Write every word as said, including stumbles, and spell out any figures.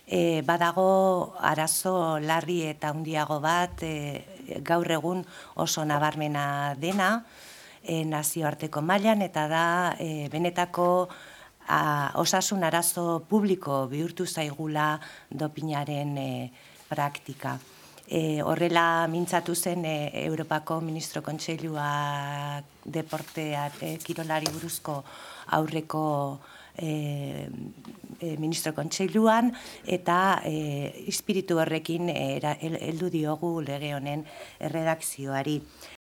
E, badago arazo larri eta handiago bat e, gaur egun oso nabarmena dena e, nazioarteko mailan eta da e, benetako a, osasun arazo publiko bihurtu zaigula dopinaren e, praktika. E, horrela mintzatu zen e, Europako Ministro Kontseilua deportea e, kirolari buruzko aurreko e, e, Ministro Kontseiluan eta e, espiritu horrekin heldu diogu lege honen erredakzioari.